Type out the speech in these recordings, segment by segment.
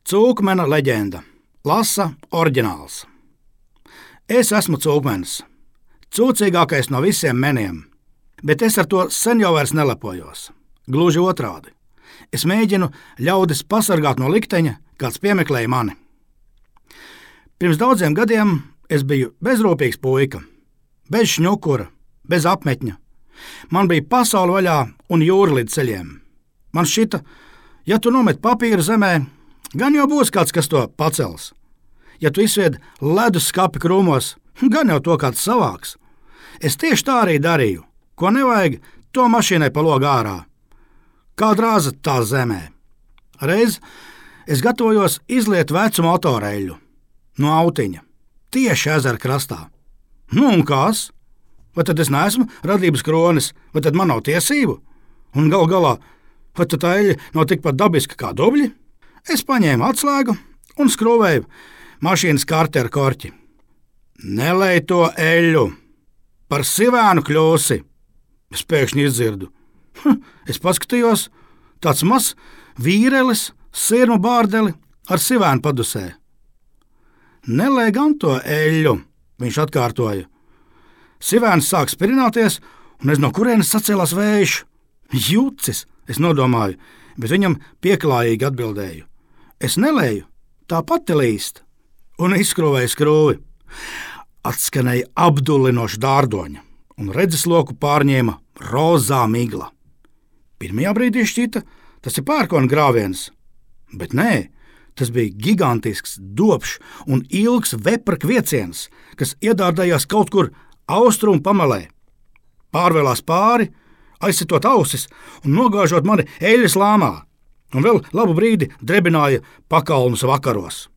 Cūkmena leģenda. Lasa oriģināls. Es esmu cūkmenis, cūcīgākais no visiem meniem, bet es ar to sen jau vairs nelepojos. Gluži otrādi. Es mēģinu ļaudis pasargāt no likteņa, kāds piemeklēja mani. Pirms daudziem gadiem es biju bezrūpīgs puika, bez šņukura, bez apmetņa. Man bija pasaule vaļā un jūra līdz ceļiem. Man šķita, ja tu nomet papīru zemē, gan jau būs kāds, kas to pacels. Ja tu izsvied ledus skapi krūmos, gan jau to kāds savāks. Es tieši tā arī darīju. Ko nevajag, to mašīnai pa logu ārā. Kā drāza tā zemē. Reiz es gatavojos izliet vecu motoreļu no autiņa, tieši ezera krastā. Nu un kas? Vai tad es neesmu radības kronis, vai tad man nav tiesību? Un gal galā, vai tad tā eļļa nav tikpat dabiska kā dubļi? Es paņēmu atslēgu un skrūvēju mašīnas karti ar korķi. Nelej to eļļu, par sivēnu kļūsi, es pēkšņi izdzirdu. Es paskatījos, tāds mazs vīrelis, sirmu bārdeli ar sivēnu padusē. Nelej gan to eļļu, viņš atkārtoja. Sivēns sāk spirināties, un es no kurienes sacēlās vējš. Jucis, es nodomāju, bet viņam pieklājīgi atbildēju. Es nelēju, tā pati līst, un izskrūvēju skrūvi. Atskanēja apdullinoša dārdoņa, un redzesloku pārņēma rozā migla. Pirmajā brīdī šķita, tas ir pērkona grāviens, bet nē, tas bija gigantisks, dobšs un ilgs vepra kvieciens, kas iedārdējās kaut kur austrumu pamalē. Pārvēlās pāri, aizsitot ausis un nogāžot mani eļļas lāmā, un vēl labu brīdi drebināja pakalnus vakaros.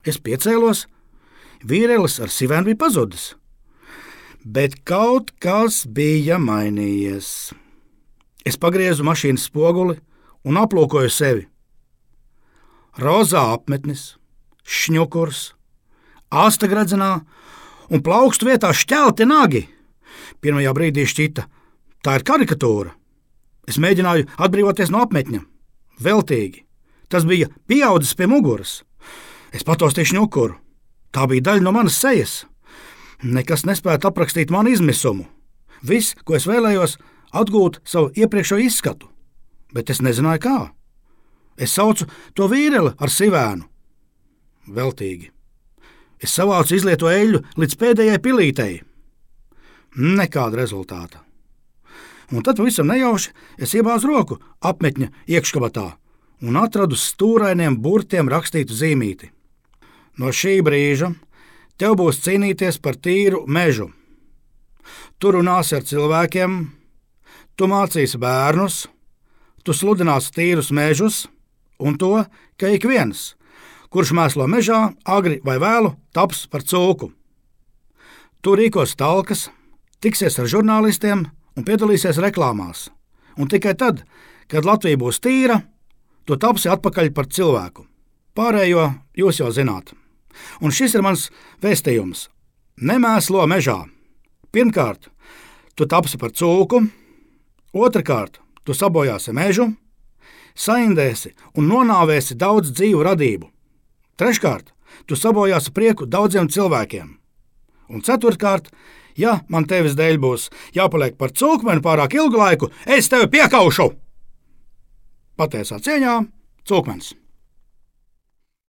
Es piecēlos, vīrelis ar sivēnu bija pazudis, bet kaut kas bija mainījies. Es pagriezu mašīnas spoguli un aplūkoju sevi. Rozā apmetnis, šņukurs, asta gradzenā un plaukstu vietā šķelti nagi. Pirmajā brīdī šķita, tā ir karikatūra. Es mēģināju atbrīvoties no apmetņa. Veltīgi. Tas bija pieaudzis pie muguras. Es pataustīju šņukuru. Tā bija daļa no manas sejas. Nekas nespēja aprakstīt manu izmisumu. Viss, ko es vēlējos, atgūt savu iepriekšējo izskatu. Bet es nezināju kā. Es saucu to vīreli ar sivēnu. Veltīgi. Es savācu izlieto eļļu līdz pēdējai pilītei. Nekāda rezultāta. Un tad pavisam nejauši es iebāzu roku apmetņa iekškabatā un atradu stūrainiem burtiem rakstītu zīmīti. No šī brīža tev būs cīnīties par tīru mežu. Tu runāsi ar cilvēkiem, tu mācīsi bērnus, tu sludināsi tīrus mežus un to, ka ik viens, kurš mēslo mežā, agri vai vēlu, taps par cūku. Tu rīkos talkas, tiksies ar žurnālistiem un piedalīsies reklāmās. Un tikai tad, kad Latvija būs tīra, tu tapsi atpakaļ par cilvēku. Pārējo jūs jau zināt. Un šis ir mans vēstījums. Nemēslo mežā. Pirmkārt, tu tapsi par cūku. Otrakārt, tu sabojāsi mežu, saindēsi un nonāvēsi daudz dzīvu radību. Treškārt, tu sabojāsi prieku daudziem cilvēkiem. Un ceturtkārt, ja man tevis dēļ būs jāpaliek par cūkmeni pārāk ilgu laiku, es tevi piekaušu! Patiesā cieņā, cūkmenis.